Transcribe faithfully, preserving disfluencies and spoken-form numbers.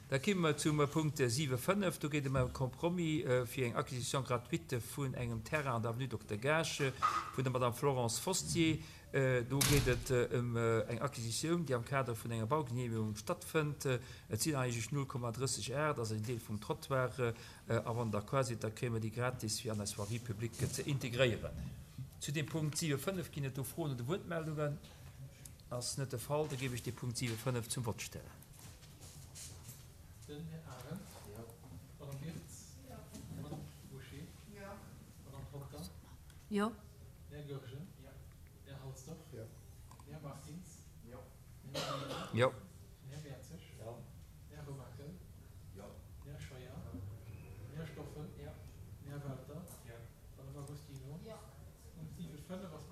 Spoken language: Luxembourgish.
Da komme mer zum Punkt siwe fënnef. Do geet et ëm e Compromis fir eng Acquisition gratuite vun engem Terrain an der Avenue Dokter Gaasch vun der Madame Florence Fostier. Do geet et ëm eng Acquisitioun, déi am Kader vun enger Baugenehmegung stattfënnt. Et sinn eigentlech null Komma drësseg Ar, dat ass en Deel vum Trottoir. A wann Der d'accord sidd, da kréie mer déi gratis, fir an eis Voirie publique ze integréieren. Zu deem Punkt siwe fënnef ginn et do Froen oder Wuertmeldungen? Ass net de Fall. Da géif ech dee Punkt siwe fënnef zum Vott stellen. Den Här Arendt. Jo. D'Madame Wirtz. Jo. D'Madame Bouché. Jo. D'Madame Porter. Jo. Den Här Goergen. Jo. Den Här Halsdorf. Jo. Den Här Martins. Jo. Den Här Gibéryen. Jo. Den Här Mertzig. Jo. Den Här Remakel. Jo. Den Här Scheuer. Den Här Stoffel. Jo. Den Här Welter. Jo. D'Madame Agostino. Jo. Punkt siwe fënnef ass